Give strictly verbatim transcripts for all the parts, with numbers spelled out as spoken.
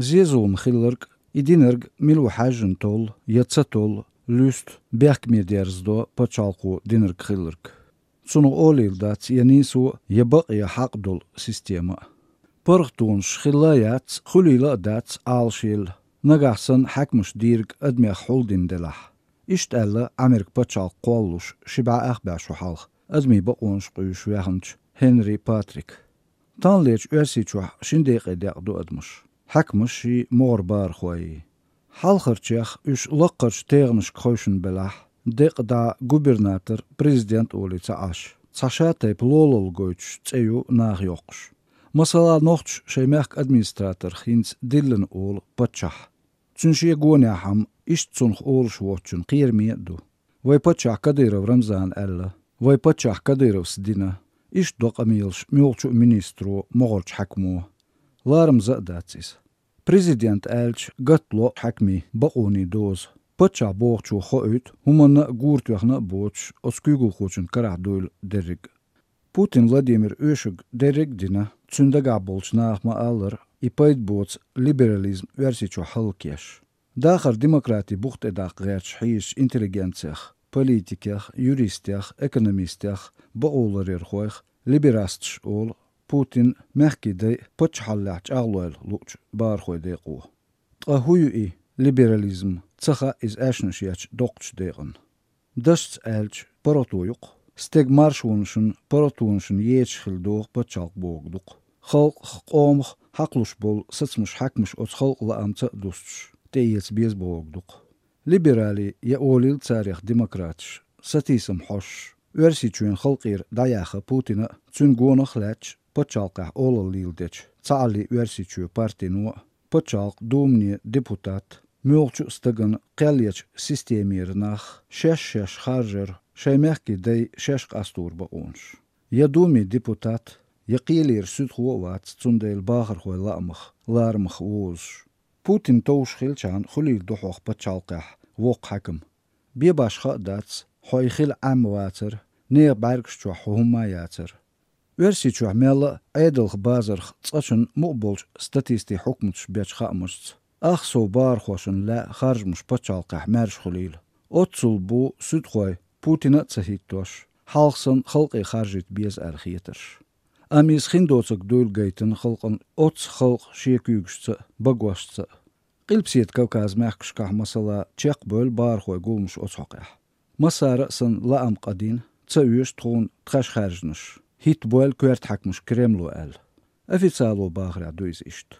Зезулам хилларг, и динарг мила ву хьаьжжина толлу я ца толлу, луьсту бехкаме дерзадо пачхьалкхо динарг хилларг. Цунах олийла дац я нийсо, я бакъ, я хьакъ долу система а. ПаргӀатонаш хилла а яц, хуьлийла а дац Ӏалашъелла, нагахь санна хьаькамаш дийриг адамех хьулдина делахь. Иштта аьлла Ӏамерка пачхьалкх кхоллалуш ши бӀе ах бӀе шо хьалха, адамийн бакъонаш къуьйсуш ваьхначу Хенри Патрика. Таханлерчу Оьрсийчохь шина декъе декъна ду адамаш, хьаькамашший, могӀара бахархойи. Хьалхарчех уьш лаккхарчу тегӀанашка хевшина белахь, декъа дӀа губернатор, президент олий ца Ӏаш, цхьа шатайпа лолалла гойтуш цӀе ю наха йоккхуш. Масала, нохчаша шайн мехкан администраторх хӀинца Диллина олу паччахь. Цуьнан шен гонехь-м иштта цунах олуш воцчунна кхераме а ду. Вай паччахь Кадыров Рамзана аьлла, вай паччахь Кадыровс дина, иштта до къамелаш муьлххачу а министро, могӀарчу хьаькамо. Ларамаза а дац иза. Президент аьлча, гатта ло хьаькамийн бакъонийн доза. Паччахь бохучо хоуьйту, хӀуманна а гура тоьхна а боцуш, оцу куьйгалхочун карахь дуйла дерриг а. Путин Владимира оьшург дерриг а дина, цуьнан дагахь болчу наха ма-аллара, и пайда боцу либерализм Оьрсийчохь хӀаллакъеш. Дахар демократи бух тӀедаккха гӀерташ хьийзачу интеллигенцех, политикех, юристех, экономистех, бакъоларъярхойх либерасташ олу Путин, мехкийн дай паччахьаллехь чӀагӀлойла луучу бахархойн декъо. Ткъа хӀун ю и либерализм, ца хаьа иза аьшнаш ечу доккхачу декъана. Дашца аьлча, паргӀато ю-кх. Стеган маршонашна, паргӀатонашна ечаш хила догӀу пачхьалкх бохург ду-кх. Халкъах, къомах хьакхалуш болу сацамаш хьаькамаша оцу халкъан лаамца а дустуш, тӀеэца беза бохург ду-кх. Либералий я олийла царех демократаш, сатийсам хьожуш, Оьрсийчоьнан халкъера дӀаяьхна Путина а, цуьнан гонах а лаьтташ, пачхьалкхехь олалла леладечу Цхьааллин Оьрсийчоь партино а, пачхьалкхан Думане депутат, муьлххачу а стагана кхел ечу системера нах шаьш-шаьш харжар, шайн мехкийн дай шаьш къастор бакъонаш. Я Думин депутат, я кхелера суьдхо а вац, цундела бахархойн лаамах, ларамах вовзуш. Путин товш хилчахьана, хуьлийла ду хьох пачхьалкхехь воккха хьаькам. Бен башха а дац, хьо и хила Ӏемма вацара, нехан бӀаьргаш чохь хьо хӀумма а яцара. Оьрсийчохь мелла а Ӏедалх базарх цкъачунна мукъа болчу статистийн хьукматаш бечу хаамашца, ах сов бахархошна лаьа харжамаш пачхьалкхехь маьрша хуьлийла. Оццул бу суьдхой, Путина а ца хӀиттош, хьалха санна халкъе харжийта беза аьлла хетарш. Амма иза хин доцург дуйла гайтина халкъана оццу халкъан шен куьйгашца а, багошца а. Къилбаседа Кавказан мехкашкахь, масала, чекхбевлла бахархойн гуламаш оцу хьокъехь. Массара а санна лаам къа дина, ца оьшу тхуна тхаьш хаьржинарш, хӀиттабойла коьрта хьаькамаш Кремло аьлла. Официало бахарехь ду иза иштта.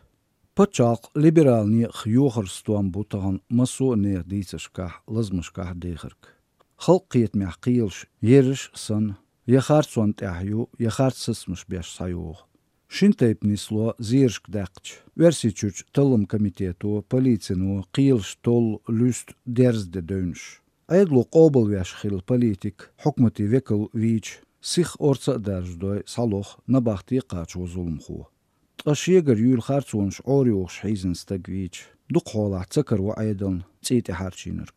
Пачхьалкх либерал некъах йохаран стом бу тахана массо а нехан дийцаршкахь, лазамашкахь дехарг. Халкъан кхетамехь кхелаш ерриш а санна, я харцонна тӀехь ю, я харц сацамаш беш схьайогӀу. Шина тайпа нисло зерашка даьккхича, Оьрсийчуьрчу талламан комитето, полицино кхелаш толлу, луьсту, дерзаде девнаш. Ӏедало къобалвеш хилла политик, хьукматан векал вийча, сиха орца а даржадой, схьалоху, набахте а кхачаво зуламхо. Ткъа шегара юьйла харцонаш Ӏорайохуш хьийзина стаг вийча, дукха хьолахь ца караво Ӏедална цӀий тӀехьарчийнарг.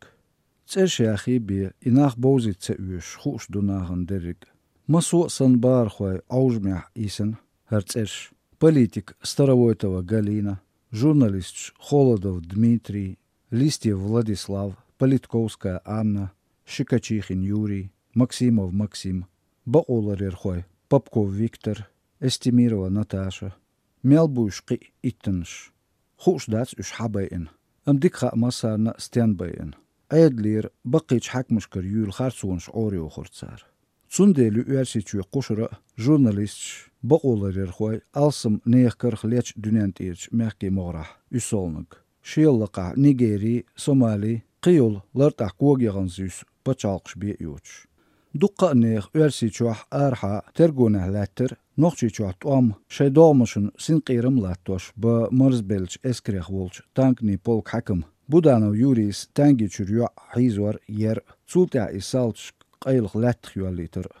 ЦӀераш яхий бен, и нах бовзийта ца оьшуш, хууш ду нахана дерриг а. Массо а санна бахархойн Ӏовжамехь йисина хӀара цӀераш: политик Старовойтова Галина, журналисташ Холодов Дмитрий, Листьев Владислав, Политковская Анна, Щекочихин Юрий, Максимов Максим, бакъоларъярхой Попков Виктор, Эстемирова Наташа, мел буй шу кхин а иттаннаш. Хууш дац уьш хьан байина, амма дика хаьа массарна а стенна байина. Ӏедалера, баккхийчу хьаькамашкара юьйла харцонаш Ӏорайохура цара. Цундела ю Оьрсийчоь кхушара а журналисташ, бакъоларъярхой алсам нехан карах лечу дуьнен тӀерачу мехкийн могӀарехь уьссалгӀаниг. Шел лакхахь Нигери, Сомали, кхин йолу лартӀехь кога яхана зуьйсу пачхьалкхаш бен а йоцуш. Дуккха а нехан Оьрсийчохь, арахьа тергонехь лаьттара, Нохчийчохь тӀом, шайн догӀмашна синкъерам а латтош, бан марзбеллачу эскарех волчу танканийн полкан хьаькам Буданов Юрийс Танги чуьра йоӀ хьийзор а, ер а, цул тӀаьхьа и салташка къайлаха лаьттах йоьллийтар а.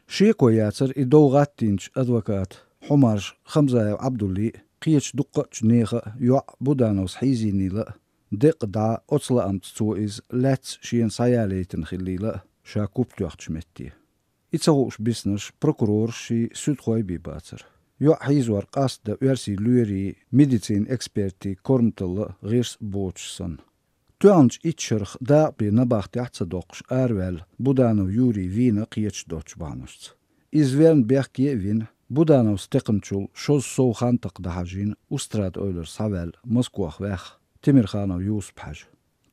Шеко яцара и дов гӀаттийначу адвоката Хьумарш Хамзаев Ӏабдуллин а, кхечу дуккхачу нехан а йоӀ Будановс хьийзийнийла а, деккъа дӀа оцу лаамца цо иза лаьцна шена схьаялийтина хиллийла а, ша куп тоьхначу метте. И ца хууш биснарш прокуроршший, суьдхой бен бацара. ЙоӀ хьийзор къаста оьрсийн лоьрийн, медицинан экспертийн корматалла гӀирс боцуш санна. ТоьӀначу итт шарах дакъа бен набахтехь а ца доккхуш араваьлла Буданов Юрий вийна кхеташ доцчу бахьанашца. Иза верна бехке а вина, Будановс текхначул шозза сов хан такха дӀахьажийна, устрада-эвлара схьаваьлла, Москох ваьхна Темирханов Юсуп-Хьаьжа.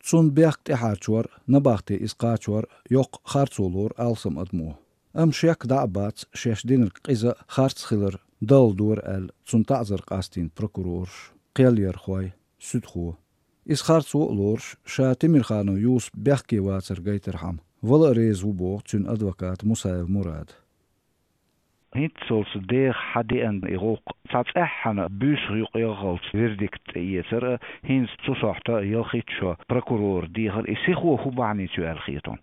Цунна бехк тӀехьарчор а, набахте иза кхачор а йоккха харцо лору алсам адамо. Амма шек дӀа а бац шаьш динарг къиза а, харц а хилар далла дора аьлла, цунна таӀзар къастийна прокурораш, кхелъярхой, суьдхо. Иза харцо а лоруш, ша Темирханов Юсуп бехке вацар гайтархьама, вала а реза ву боху цуьнан адвоката Мусаев Мурада. ХӀинццалц деха хьан деана и гӀуллакх, цхьа цӀеххьана буьйсах юкъа яххалц вердикт тӀеэцар а, хӀинца цу сохьта ялхитта шо прокурора дехар, и сихо хӀун бахьаница ю аьлла хета хьуна?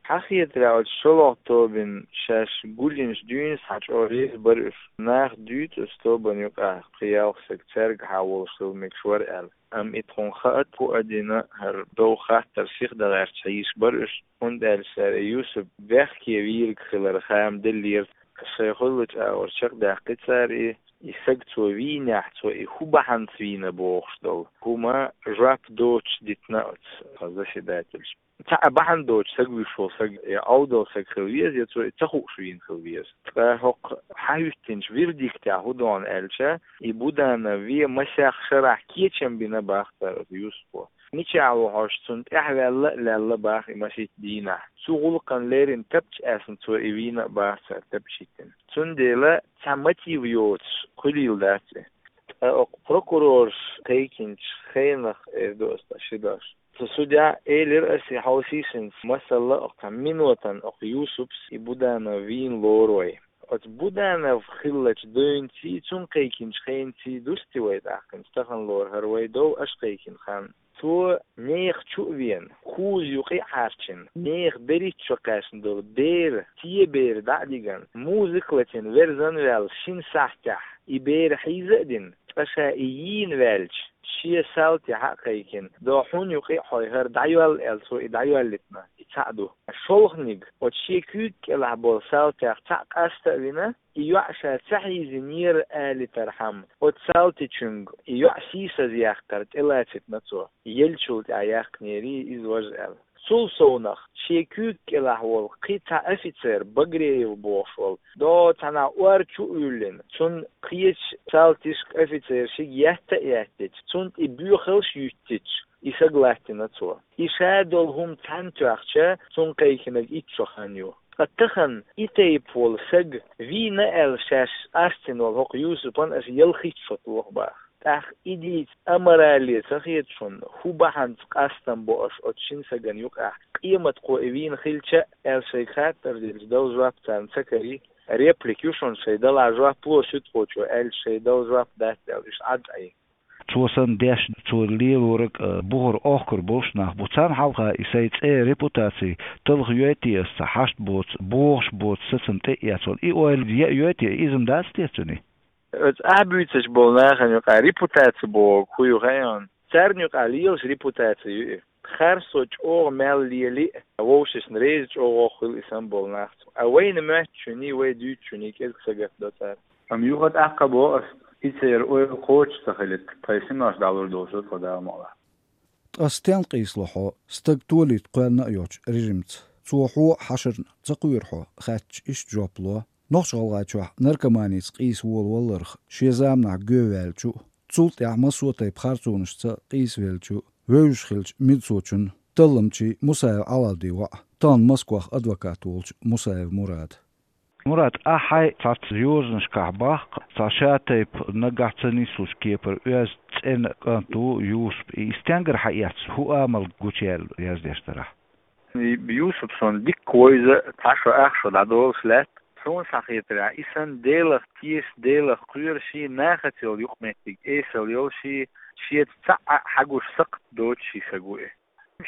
Хьан хетарехь, оцу шолгӀа тобанна шаьш гулйинчу дуьйна схьа чӀогӀа реза бара уьш. Наха дуьйцу оцу тобанна юкъахь кхин ялх стаг цаьргахьа волуш хила мегаш вара аьлла. Амма и тхуна хаьа, хӀун а дина, хӀара дов хаттар сиха дан гӀерташ хьийзаш бара уьш, хӀунда аьлча цара и Юсуп бехке вийриг хилар хам деллера. Шайн хуьллучу агӀор чекхдаьккхи цара и, и саг цо вийнехь, цо и хӀун бахьанца вийна бохуш долу хӀума жоп доцуш дитина оцу заседательша. Цхьа а бахьана доцуш саг вуьйш волу саг я Ӏовдал саг хила веза, я цо и ца хууш вийна хила веза. Ткъа хӀокху хьан хӀуьттинчу вердиктехь хӀун ду аьлча, и Буданов вен масех шарахь кечам бина бах цара оцу Юсупо. Мичахь ву хьожуш, цунна тӀаьхьаваьлла а лаьлла бах и масийтта дийнахь. Цу гӀуллакхана леррина тапча аьсна цо и вийна а бах цара тапча хӀиттина. Цундела цхьа мотив йоцуш хуьлийла дац и. Ткъа окху прокурорша кхайкхинчу хенах, эр ду аса тӀе ши дош. Цу судья элира аса и хьовсийшинца, масала, окху цхьа минотан окху Юсупс и Буданов вийна лору вай. Оцу Буданов хиллачу девнций, цунна кхайкхинчу хенций дусти вай тӀаккхинчу тахана лору хӀара вай дов аша кхайкхина хан. Цо нехан чу а вена, кхуза юкъа а хьарчина, нехан берхӀитта шо кхаьчна долу бер, те бер дӀа а дигана, музыка латийна верзан а ваьлла, шина сахьтехь и бер хьийза а дина, ткъа ша и йийна ваьлча, шен салти хьа а кхайкхина, до хьуна юкъа а хьой хӀара дӀайоьлла аьлла, цо и дӀайоьллитина, и цхьаъ ду. ШолгӀаниг, оцу шен куьйга кӀелахь болу салтех цхьаъ къаста а вина, и йоӀ ша ца хьийзинера алийтархьама, оцу салтичуьнга и йоӀ сийсазъяккхар тӀелацитина цо, еллачул тӀаьхьа яьккхинера иза важа аьлла. Цул совнах, шен куьйга кӀелахь волу кхин цхьа офицер, Багреев бохуш волу, до цхьанхьа ор чу а уьллина, цунна кхечу салташка, офицершка етта а еттича, цунна тӀе боьхалш а юьттича, и саг латтина цо. И ша долу хӀума цхьаьна тоьхча, цунна кхайкхинарг итт шо хан ю. Ткъа тахана и тайпа волу саг вийна аьлла шаьш къастийна волу хӀокху Юсупан аса ялхитта шо тоху бах. ТӀаккха и дийца аморале ца хета шуна, хӀун бахьанца къастам бо аша оцу шина сагана юкъахь, къематхо и вийна хилча а, аьлла шайга хаттар делча, дала жоп царна ца карий, реплика ю шуна, шайн дала жоп ло суьдхочо аьлча, шайн дала жоп дац аьлла, уьш Ӏад Ӏе. Цо санна деш, цо лелораг а, бухара охкар болуш нах бу. Царна хьалха и сайн цӀе, репутаци талха йой те аса, хьашт боцу, бохуш боцу сацам тӀе а эцна, и ойла яа йой те, иза-м дац те цуьнан? Оцу ахь буьйцуш болу нахана юкъахь репутаци бохург хӀун ю хаьий хьуна? Царна юкъахь лелаш репутаци ю и. Харцо чӀогӀа мел лели а, вовшашна реза чӀогӀа хуьлу и санна болу нах. А вайна моьттучунний, вай дуьйцучунний кӀезиг сагатдо цара. Амма юха тӀаккха боху аса, и церан ойла кхочуш ца хилийта, тхайн синош дӀалур долуш ду тхо, Дала мукъ лахь. Ткъа стенна къийсало хьо стаг толийта кхоьллина а йоцчу режимца? Цо хьо а, хьашарна ца кхоьру хьо, хаьттича, иштта жоп ло: нохча-гӀалгӀайчохь наркоманица къийса волаваларх шен заманахь гӀовттаваьллачу а, цул тӀаьхьа массо а тайпа харцонашца къийсавеллачу а вевзаш хиллачу медсовчун, талламчийн Мусаев Ӏалалдин воӀ, тахана Москвах адвокат волчу Мусаев Мурада. Мурад, ахь хьайн цхьацца йозанашкахь боху, цхьа ша тайпа нагахь ца нислучу кепара оьзда цӀена кӀант ву Юсуп, и стенгара хьаэцна, хӀун амал гучуяьлла яздеш дарахь? И Юсуп суна дикка вевза, цхьа шо, ах шо дӀадолуш лаьтта. Суна схьахетарехь, и санна Делах теша, Делах кхоьруш, нахаца йолу юкъаметтиг эсала йолуш, шеца цхьаъ а хьагуш сакхт доцуш саг ву и.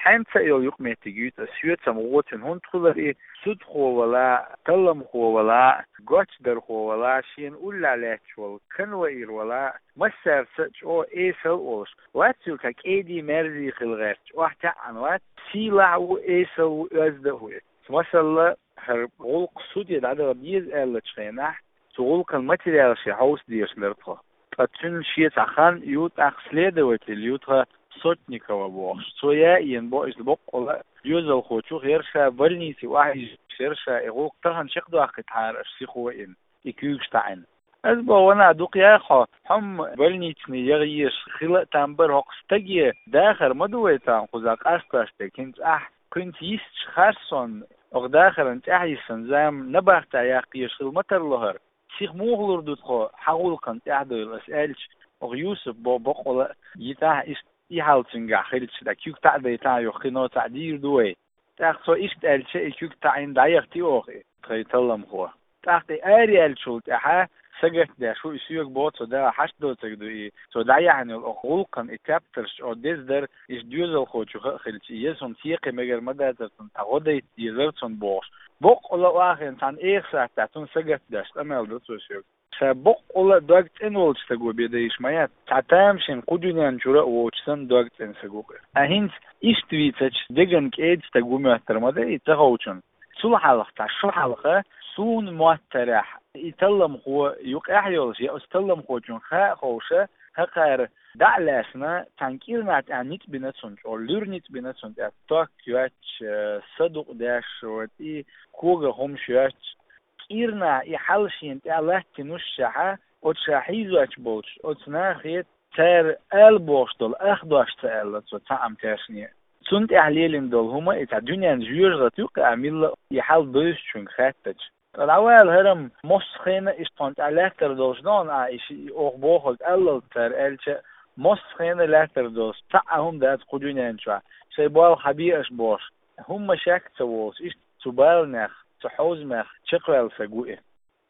Хьаьнца а йолу юкъаметтиг юьйцу аса, соьцам гӀо цуьнан, хӀунда хилла и судхо вала, талламхо вала, гочдархо вала, шена уллехь лаьтташ волу конвоир вала, массаьрца а чӀогӀа эсала а волуш, вац цуьнан цхьа кӀеда-мерза хила гӀерташ, охьатаьӀна вац, сийлахь а ву, эсала а ву, оьзда а ву и. Масала, хӀара гӀуллакх суде дӀадаха деза аьллачу хенахь, цу гӀулакхан материалаш хьовса дезаш дара тхо. Ткъа цуьнан шен цхьа хан ю, тӀаккха следователь ю тхан Сотникова бохуш. Цо яийна бо иза боккъала а, доьзалхочух яра ша, больнице охьайижаш яра ша, и гӀуллакх тахана чекхдоккхуьйту хьара аша сихо а йина, и куьйгаш таӀийна. Ас боху, ванах, дукха яхьа хьо, хьо-м больницане яха езаш хила а там бара, хӀокху стаге дахар ма ду вай царна кхузахь къастош дерг, хӀинца ахь кхуьнца йисташ харцонна, оха дахаран тӀаьхьа йисина зама набахтехь яккха езаш хила ма тарло хӀара. Сиха муха лур ду тхо хьан гӀуллакхан тӀаьхьадовла, ас аьлча, оха Юсуп бо боккъала а йитахь, иштта и хьал цуьнгахь хилча, дӀа куьг таӀадайтахь, юха кхин цхьаъ дийр ду вай. ТӀаккха цо иштта аьлча, и куьг таӀийна дӀаяхтий оха и тхайн талламхо. ТӀаккха и араяьллачул тӀаьхьа сагатдеш ву, и соьга боху, цо дагахь хьашт доцург ду и, цо дӀаяьхьна йолу оха гӀуллакхан и тептарш чӀогӀа деза дара, иштта доьзалхочух а хилча, и еза хӀума цекхе мегар ма дацара цунна, цхьа гӀо дайта дезара цунна бохуш. Боккъала а вахийна цхьана эха сахьтехь цунна сагатдеш къамел до цо соьга. Ша боккъала а дог цӀена волчу стаго бен дан йиш ма яц. Цхьа тамашийна кху дуьнен чуьра а воцуш санна дог цӀена стаг ву-кх. Ткъа хӀинца иштта вийцачу деган кӀеда стаг ву моьттур ма дай и ца ховчунна. Цул хьалха, цхьа шо хьалха, суна моттарехь, и талламхо юкъахь йолуш, я оцу талламхочунна хаа а ховша, хӀокхара дӀа а лаьцна, цхьана кӀирнахь тӀехь ницкъ бина цунна, чӀогӀа луьра ницкъ бина цунна, тӀехь ток йоьттуш, садукъ деш, вот, и когах хӀумаш йоьттуш, кӀирнахь и хьал шена тӀехь латтийнушшехьа, оцу ша хьийзош болчу оцу нахе цара ала бохуш долу ах дош ца аьлла цо цхьаъ-м тешне. Цунна тӀехь лелийна долу хӀума и цхьа дуьненна жоьжахати ю-кх, а милла а и хьал бевзачуьнга хаьттача. Ткъа дӀавала хӀара-м, массо а хенахь иштта хьуна тӀехь лаьттар долуш ду хьуна, а, и ши-, и оха бохург аллалц цара аьлча, массо а хенахь лаьттар долуш цхьа а хӀума дац кху дуьнен чохь, шайн болх хьан бе аша бохуш. ХӀумма шек а ца волуш, иштта цу баланех, цу хьовзамех чекхваьлла стаг ву и.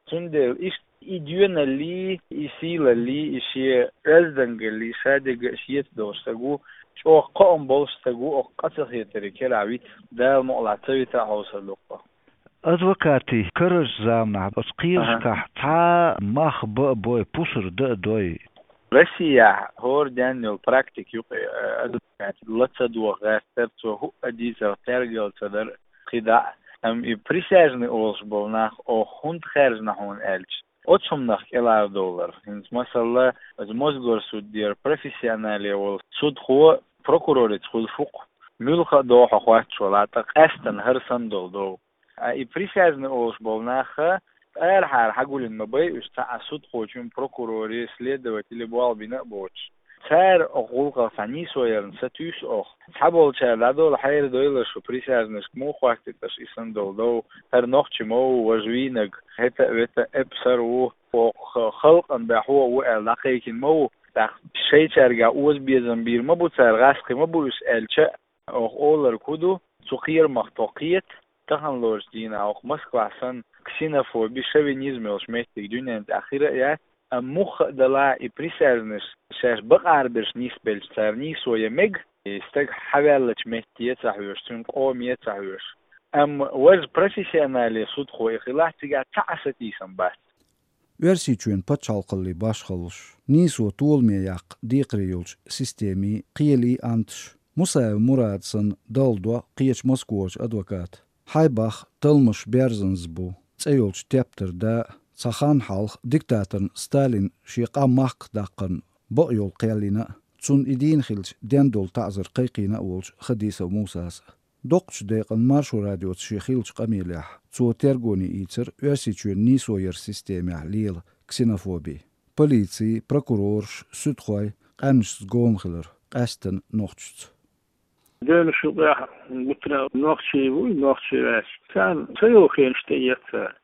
Цундела иштта и доьналлий, и сийлаллий, и шен оьздангаллий, ша дерг а шеца долуш стаг ву, чӀогӀа кхоам болуш стаг ву, оха къа ца хетарийн керахь виц, Дала мукъалахь ца вита а хьовсур ду-кх. Адвокатийн карарчу заманахь оцу кхерашкахь цхьа а мах бан а бой, пусар дан а дой. Россияхь хӀора денна йолу практика ю-кх, э, адвокат ла ца доха гӀертара, цо хӀуъа дийцарх тергал ца дара кхидӀа а. Амма и присяжный олуш болу нах оха хӀунда хаьржина хьуна аьлча, оцу хӀуманах кӀелхьардовлар. ХӀинца, масала, оцу Мосгорсудера профессионале волу судхо прокурорица хуьлуш ву-кх, муьлхха а догӀу хьо хоьттуш валахь, ткъа къаьстина хӀара санна долу дов. А и присяжный олуш болу нах арахьара хьагулйина ма бай уьш, цхьа а судхочун, прокуроран, следователан болх бина а боцуш. Цара оха гӀуллакхах цхьа нийсо ярна сатуьйсу оха. Цхьаболчара дӀадолу хьерадойла шу, присяжныйшка муха хоттуьйту аша и санна долу дов, хӀара нохчи ма ву, важа вийнарг, хӀета а, вета а, эппа сар ву, оха халкъан баьхьо а ву аьлла дӀакхайкхина ма ву. ТӀаккха шайчаьргахь озабезам бийр ма бу цара, гӀаскхи ма бу уьш аьлча а, оха олург хӀун ду, цу кхерамах тхо кхета, таханлерчу дийнахь оха Москвахь санна ксенофоби, шовинизм йолуш меттиг дуьнен тӀехь хир а яц, амма муха а далахь и присяжныйш шаьш бакъахьара берш нисбелча цара нийсо ян мега, и стаг хьаваьллачу метте а ца хьоьжуш, цуьнан къоме а ца хьоьжуш. Амма важа профессионале судхо и хилахь, цигахь цхьа а сатийсам бац. Оьрсийчоьнан пачхьалкхаллин башхаллаш, нийсо толаме яккха декхаре йолчу системин кхелий, анташ, Мусаев Мурада санна, далла до кхечу Москварчу адвоката. Хьайбах, талламаш берзанза бу цӀе йолчу тептаран да а, цхьа хан хьалха диктаторна Сталина шен къам махках даккхарна бакъйолу кхел йина а, цунна и дийна хилча ден долу таӀзар кхайкхийна а волчу Хадисов Мусас а. Доккхачу декъана Маршо радиоца шен хиллачу къамелехь цо тергоне ийцира Оьрсийчоьнан нийсо яран системехь лела ксенофоби. Полици, прокурораш, суьдхой къаьмнашца гома хилар, къаьсттина нохчашца. Девнаш юкъехь гуттара нохчий вуй, нохчий ваьлча, царна ца йолу хенаш тӀеэцна цара.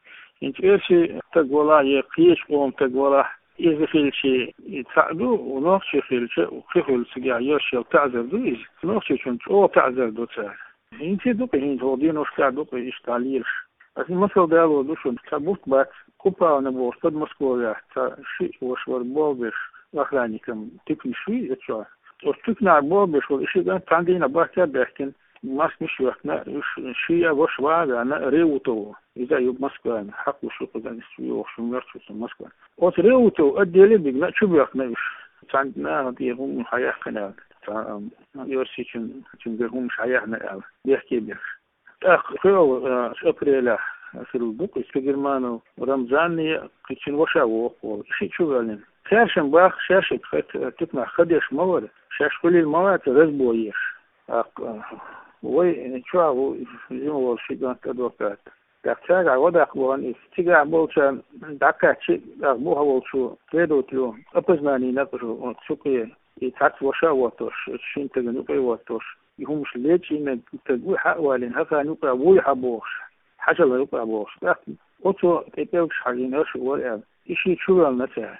ХӀинца оьрсий стаг валахь я кхечу къоман стаг валахь, иза хилча и цхьаъ ду, нохчий хилча, кхин хуьлу цигахь йолу таӀзар ду иза. Нохчийчунна чӀогӀа таӀзар до цара. ХӀинца а ду-кх, хӀинца хӀокху деношкахь ду-кх иштта лелаш. Аса масал далор ду шуна, цхьа бутт бац, Купавна бохуш, Подмосковьехь цхьа шиъ ваша вара болх беш, охранникан туьканаш юй оцу чохь. Оцу туьканахь болх беш волу и ши кӀант цхьана дийнахь баттахь а баьхкина, маскаш а йоьхкина, уьш шиъ а ваша ван а ваьхна, Реутов. Иза а ю Москвана, хьакхалуш ю кхузахь, иза чу йогӀуш ю, моьртачу ю Москвана. Оцу Реутов отделе а бигна, чу боьхкина уьш. Цхьана нахана тӀера хӀума хьаяьккхина аьлла, цхьа, ам, оьрсичун, цуьнгара хӀумаш хьаяьхна аьлла, бехке а беш. ТӀаккха кхоалгӀачу апрелехь хилла ду-кх иза Пегерманов Рамзанни, кхычун ваша воккха волу, и шиъ чу ваьллина. Цаьршимма баха, шаьш и тхайт туькнахь хадеш ма вара, шаьш хуьлийла ма вац разбойш. ТӀаккха вай чохь ву жима волу ши кӀант адвокат. ТӀаккха цаьргахь вадаккха бахана иза. Цигахь болчарна дӀакхаьчча, тӀаккха бухахь волчу следователо опознание накъашу цу кхе, и цхьацца ваша а воттуш, шина стагана юкъе а воттуш, и хӀумаш лечи мега стаг вуй хьа а валийна, хӀокхарна юкъахь вуй хьа бохуш, хьажал юкъахь бохуш. ТӀаккха оцо тӀе пӀелгаш хьажийна аша вара аьлла, и шиъ чу ваьллина цара.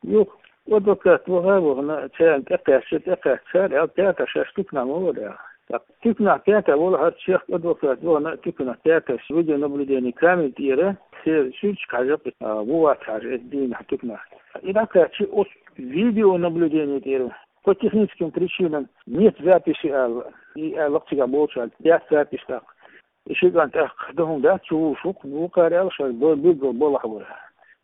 Юха адвокат ваха а вахана, царна тӀекхаьчча, тӀекхаьчча цара аьлла, пятая шаьш туькнахь ма вара аьлла. ТӀаккха туькнахь пятая волу хӀара чехка адвокат вахана, туькнахь пятая видеонаблюдение камера тӀера, церан суьрташка хьажа, а, ву вац хьажа, эцу дийнахь туькнахь. И дӀакхаьчча оцу видеонаблюдение тӀера, по техническим причинам нет записи аьлла. И аьлла цигахь болчара, яц запись тӀаккха. И ши кӀант тӀаккха дан хӀума дац, чу вуш ву-кх, вукхара аьлла шайн бо-, билггал балхахь вара.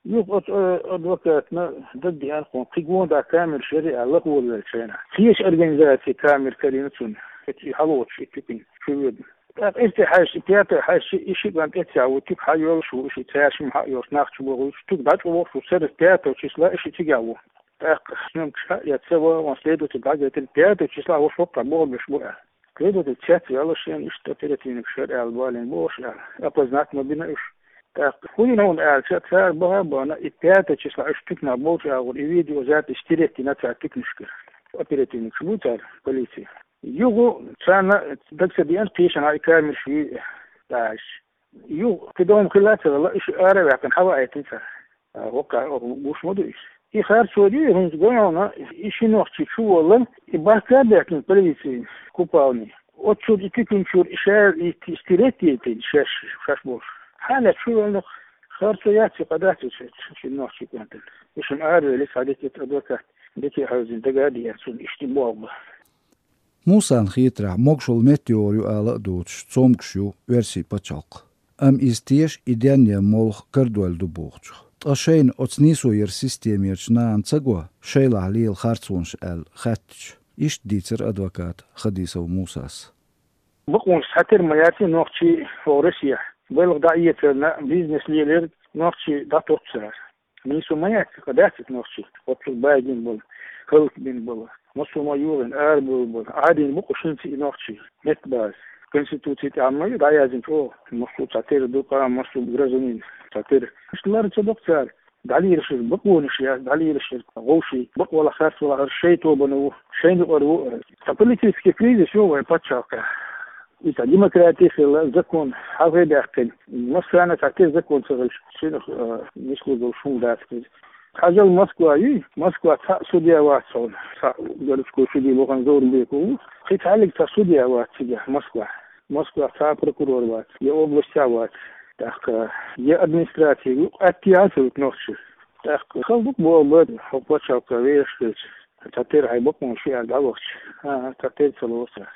Юха оцу, э, адвокатна дагадеана кхунна, кхин гонах камераш яра аьлла, лахволавеллачу хенахь. Кхечу организацин камера карийна цунна, и хьалоцуш и туькна чу воьдна. ТӀаккха эццехь хьаьжча, пятая хьаьжча, и ши кӀант эццехь ву, туька хьайоьллуш ву, и ши цаьршимма хьайоьллуш, туька дӀачӀогӀуш ву, церан пятого числа и ши цигахь ву. ТӀаккха сномкаш хьаэцна, ца вахана следователь дӀагайтина, пятого числа ву, хӀокху бохург беш бу аьлла. Следователь цецваьлла шена иштта оперативникаш яра аьлла, балийна бохуш аьлла. Опознать ма бина уьш. ТӀаккха хӀун йина хьуна аьлча, цара баха а бахана, и пятого числа уьш туькнахь болчу агӀор и видеозапись стереть йина цара туькнашкара. Оперативникаш бу цара, полици. Юха царна дага ца деана, кхечанхьа и камераш юй аьлла. Юха кхидолу хила а ца хилла, уьш ара а ваьккхина, хьаваийтина цара. А, хӀокху гуш ма ду иза. И харцо ду, хӀинца гой хьуна, и ши нохчи чу воллар, и бахка а баьхкина полицин купални. Оццуьра и туькнучуьра и ша и ти-, стереть йитина шаьш, шаьш болуш. Хьалха чу ваьлла, харцо яц и, къа дац и ши, ши нохчи кӀантана. И шуна аравелира, схьадитира адвокат, дика хьевзина дага а деана цунна, иштта боху бан. Мусана хетарехь, могушалла меттайогӀур ю ала а доцуш, цомгуш ю оьрсийн пачхьалкх. Амма иза теша и денъян молха карадойла ду бохучух. Ткъа шайна оцу нийсо яран системерчу нахана ца го шайлахь лела харцонаш аьлла хаьттича, иштта дийцира адвоката Хадисов Мусас. Бакъонаш цхьатера ма яц и нохчий хӀокху Россехь. Балха дӀаэцарна бизнес лелар нохчий дӀатотту цара. Нийсо ма яц, къа дац иза нохчий. Оццул баьгина болу, хӀаллакбина болу, массо а ма юхийна, арабевлла болу. Ӏадийна бу-кх шуьнца и нохчий, меттан база. Конституци тӀехь ма ю дӀаяздина чӀогӀа, массо а цхьатера ду, къа массо а гражданин цхьатера. Иштта лар ца до-кх цара. ДӀалелаш яра бакъонаш, яц, дӀалелаш яра вовшийн, бакъвалахь, харцвалахь, хӀара шайн тобанан ву, шайна юкъара ву. Цхьа политический кризис ю вайн пачхьалкхехь. И цхьа демократи хилла, закон хьалхе даьккхина. Массарна цхьа тера закон ца хилча, цуьнах, а, нислур долуш хӀума дац иза. Хьажал, Москва юй, Москва цхьаъ судья вац хьуна. Цхьаъ городской судья вахана Заурбеков ву. Кхин цхьаьллиг цхьа судья вац цигахь, Москвахь. Москвахь цхьа а прокурор вац, я областехь вац. ТӀаккха я администраци ву, къаьттина ца вуьту нохчий. ТӀаккха хала ду-кх боху бан, хӀокху пачхьалкхе вехаш хилча, цхьа тера хьайн бакъонаш ю аьлла дӀавахча, а, цхьа тера ца лоцу.